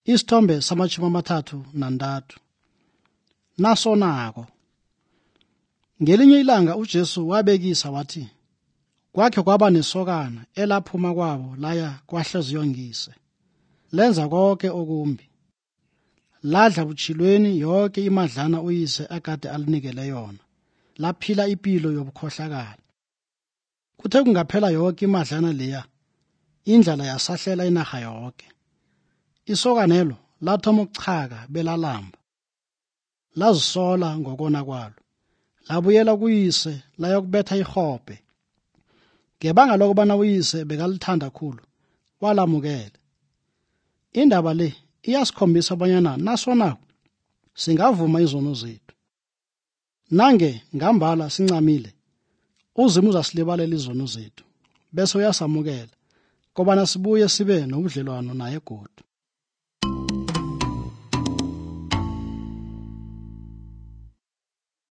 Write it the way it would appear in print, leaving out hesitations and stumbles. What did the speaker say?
Isithombe sama-33. Nasonako. Ngelinye ilanga uJesu wabekisa wathi, kwakhe kwaba nesokana elaphuma kwabo laya kwahleziyo nguyise. Lenza konke okumbi. Ladla butshilweni yonke imadlana uyise akade alinikele yona. Laphila impilo yobukhohlakala. Kuthe kungaphela yonke imadlana leya, indlala yasahlela inaga yonke. Isokanelo lathoma ukuchaka belalamba. Lazisola ngokona kwalo. Labuyela kuyise layokubetha ihobhe. Ngebanga lokubana uyise bekalithanda kakhulu, walamukela. Indaba le iyasikhombisa abanyana nasonako singavuma izono zethu. Nange ngambala sincamile, uZimu uzasilibalela izono zethu bese uyasamukela kobana sibuye sibe nobudlelwano naye godu.